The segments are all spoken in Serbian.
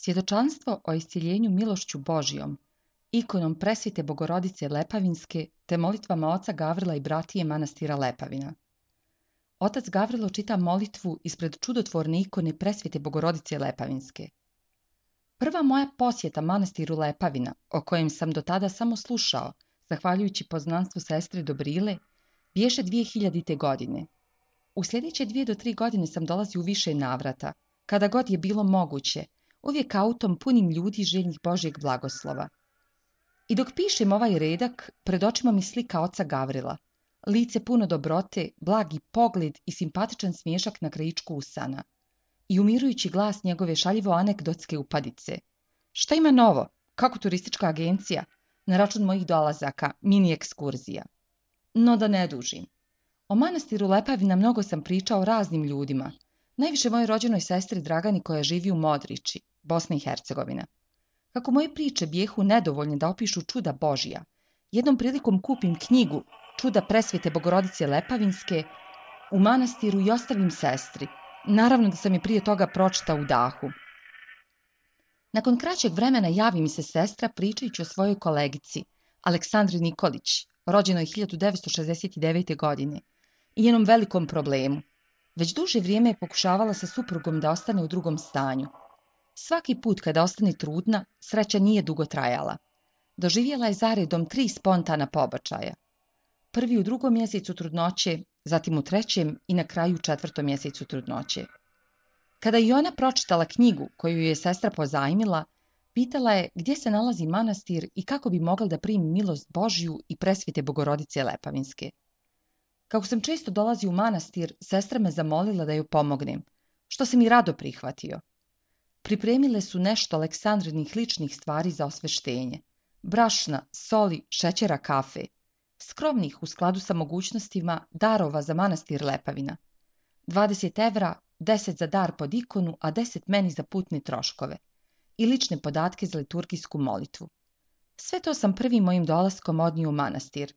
Svjedočanstvo o iscjeljenju milošću Božjom, ikonom presvete Bogorodice Lepavinske te molitvama oca Gavrila i bratije manastira Lepavina. Otac Gavrilo čita molitvu ispred čudotvorne ikone presvete Bogorodice Lepavinske. Prva moja posjeta manastiru Lepavina, o kojem sam do tada samo slušao, zahvaljujući poznanstvu sestre Dobrile, bješe 2000. godine. U sljedeće 2 do 3 godine sam dolazio u više navrata, kada god je bilo moguće, uvijek autom punim ljudi željnih Božjeg blagoslova. I dok pišem ovaj redak, pred očima mi slika oca Gavrila, lice puno dobrote, blagi pogled i simpatičan smiješak na krajičku usana. I umirujući glas njegove šaljivo anegdotske upadice. Šta ima novo? Kako turistička agencija? Na račun mojih dolazaka, mini ekskurzija. No da ne dužim. O manastiru Lepavina mnogo sam pričao raznim ljudima. Najviše mojoj rođenoj sestri Dragani koja živi u Modriči, Bosna i Hercegovina. Kako moje priče bijehu nedovoljne da opišu čuda Božja, jednom prilikom kupim knjigu Čuda presvete Bogorodice Lepavinske u manastiru i ostavim sestri. Naravno da sam je prije toga pročitao u dahu. Nakon kraćeg vremena javi mi se sestra pričajući o svojoj kolegici, Aleksandri Nikolić, rođenoj 1969. godine, i njenom velikom problemu. Već duže vrijeme je pokušavala sa suprugom da ostane u drugom stanju. Svaki put kada ostane trudna, sreća nije dugo trajala. Doživjela je zaredom 3 spontana pobačaja. Prvi u 2. mjesecu trudnoće, zatim u 3. i na kraju u 4. mjesecu trudnoće. Kada je ona pročitala knjigu koju je sestra pozajmila, pitala je gdje se nalazi manastir i kako bi mogla da primi milost Božju i presvete Bogorodice Lepavinske. Kako sam često dolazio u manastir, sestra me zamolila da joj pomognem, što sam i rado prihvatio. Pripremile su nešto Aleksandrinih ličnih stvari za osveštenje. Brašna, soli, šećera, kafe. Skromnih u skladu sa mogućnostima darova za manastir Lepavina. 20 evra, 10 za dar pod ikonu, a 10 meni za putne troškove. I lične podatke za liturgijsku molitvu. Sve to sam prvim mojim dolaskom odnio u manastir.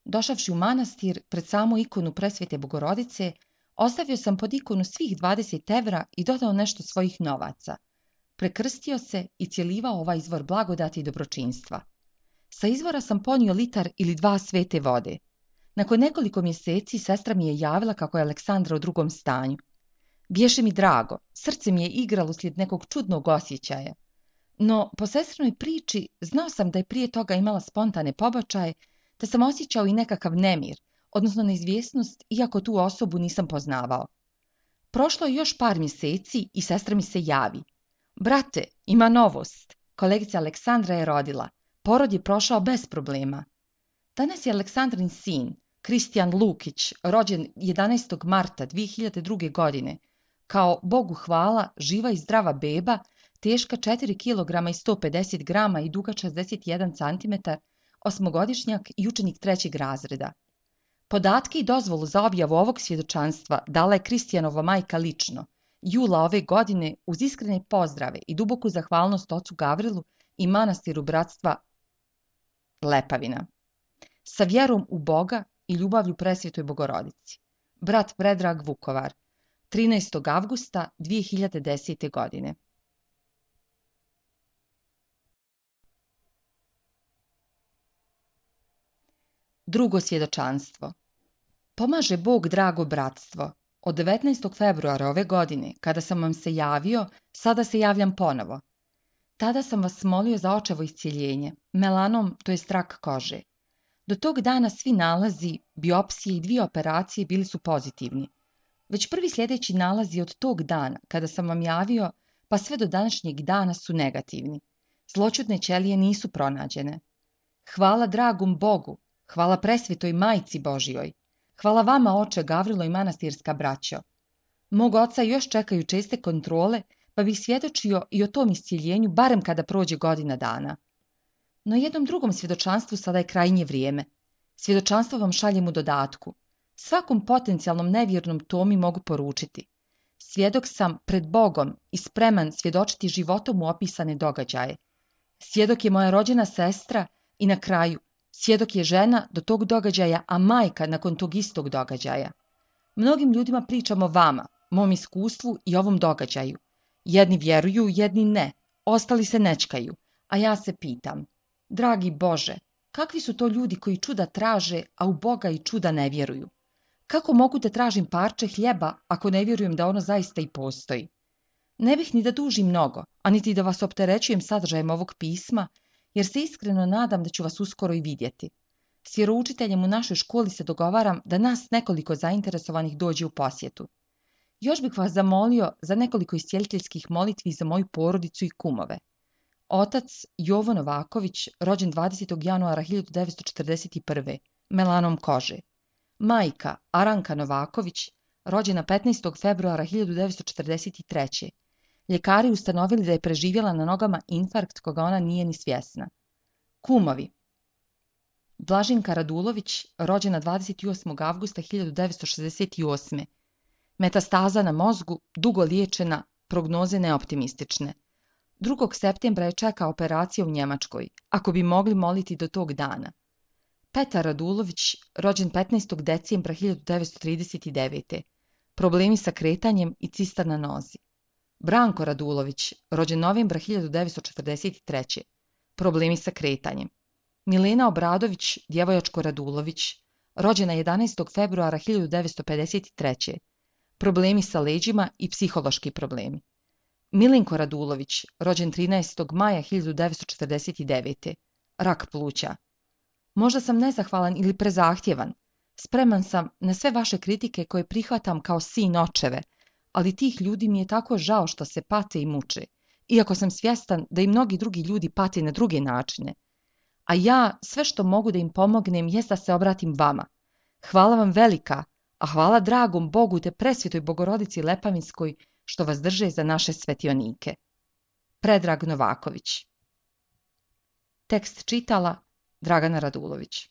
Došavši u manastir, pred samu ikonu presvete Bogorodice, ostavio sam pod ikonu svih 20 evra i dodao nešto svojih novaca. Prekrstio se i cjelivao ovaj izvor blagodati i dobročinstva. Sa izvora sam ponio 1 litar ili 2 svete vode. Nakon nekoliko mjeseci sestra mi je javila kako je Aleksandra u drugom stanju. Bješe mi drago, srce mi je igralo uslijed nekog čudnog osjećaja. No, po sestrinoj priči, znao sam da je prije toga imala spontane pobačaje, te sam osjećao i nekakav nemir, odnosno neizvjesnost, iako tu osobu nisam poznavao. Prošlo je još par mjeseci i sestra mi se javi. Brate, ima novost. Kolegica Aleksandra je rodila. Porod je prošao bez problema. Danas je Aleksandrin sin, Kristijan Lukić, rođen 11. marta 2002. godine, kao Bogu hvala živa i zdrava beba, teška 4 kg i 150 grama i duga 61 cm, 8-godišnjak i učenik 3. razreda. Podatke i dozvolu za objavu ovog svjedočanstva dala je Kristijanova majka lično, jula ove godine, uz iskrene pozdrave i duboku zahvalnost ocu Gavrilu i manastiru bratstva Lepavina. Sa vjerom u Boga i ljubavlju presvetoj Bogorodici. Brat Predrag Vukovar, 13. avgusta 2010. godine. Drugo svjedočanstvo. Pomaže Bog drago bratstvo. Od 19. februara ove godine, kada sam vam se javio, sada se javljam ponovo. Tada sam vas molio za očevo iscjeljenje, melanom, to je rak kože. Do tog dana svi nalazi, biopsije i 2 operacije bili su pozitivni. Već prvi sljedeći nalazi od tog dana, kada sam vam javio, pa sve do današnjeg dana su negativni. Zloćudne ćelije nisu pronađene. Hvala dragom Bogu, hvala presvetoj majci Božjoj. Hvala vama, oče Gavrilo i manastirska braćo. Mog oca još čekaju česte kontrole, pa bih svjedočio i o tom iscjeljenju barem kada prođe godina dana. No jednom drugom svjedočanstvu sada je krajnje vrijeme. Svjedočanstvo vam šaljem u dodatku. Svakom potencijalnom nevjernom Tomi mogu poručiti. Svjedok sam pred Bogom i spreman svjedočiti životom u opisane događaje. Svjedok je moja rođena sestra i na kraju, svjedok je žena do tog događaja, a majka nakon tog istog događaja. Mnogim ljudima pričam o vama, mom iskustvu i ovom događaju. Jedni vjeruju, jedni ne, ostali se nečkaju, a ja se pitam, dragi Bože, kakvi su to ljudi koji čuda traže, a u Boga i čuda ne vjeruju? Kako mogu da tražim parče hljeba ako ne vjerujem da ono zaista i postoji? Ne bih ni da dužim mnogo, a niti da vas opterećujem sadržajem ovog pisma, jer se iskreno nadam da ću vas uskoro i vidjeti. S vjeroučiteljem u našoj školi se dogovaram da nas nekoliko zainteresovanih dođe u posjetu. Još bih vas zamolio za nekoliko iscijeliteljskih molitvi za moju porodicu i kumove. Otac Jovo Novaković, rođen 20. januara 1941. melanom kože. Majka Aranka Novaković, rođena 15. februara 1943. Ljekari ustanovili da je preživjela na nogama infarkt koga ona nije ni svjesna. Kumovi. Blažinka Radulović, rođena 28. avgusta 1968. Metastaza na mozgu, dugo liječena, prognoze neoptimistične. 2. septembra je čeka operacija u Njemačkoj, ako bi mogli moliti do tog dana. Petar Radulović, rođen 15. decembra 1939. Problemi sa kretanjem i cista na nozi. Branko Radulović, rođen novembra 1943. Problemi sa kretanjem. Milena Obradović, djevojačko Radulović, rođena 11. februara 1953. Problemi sa leđima i psihološki problemi. Milinko Radulović, rođen 13. maja 1949. Rak pluća. Možda sam nezahvalan ili prezahtjevan. Spreman sam na sve vaše kritike koje prihvatam kao sin očeve, ali tih ljudi mi je tako žao što se pate i muče, iako sam svjestan da i mnogi drugi ljudi pate na druge načine. A ja sve što mogu da im pomognem jest da se obratim vama. Hvala vam velika, a hvala dragom Bogu te presvetoj Bogorodici Lepavinskoj što vas drže za naše svetionike. Predrag Novaković. Tekst čitala Dragana Radulović.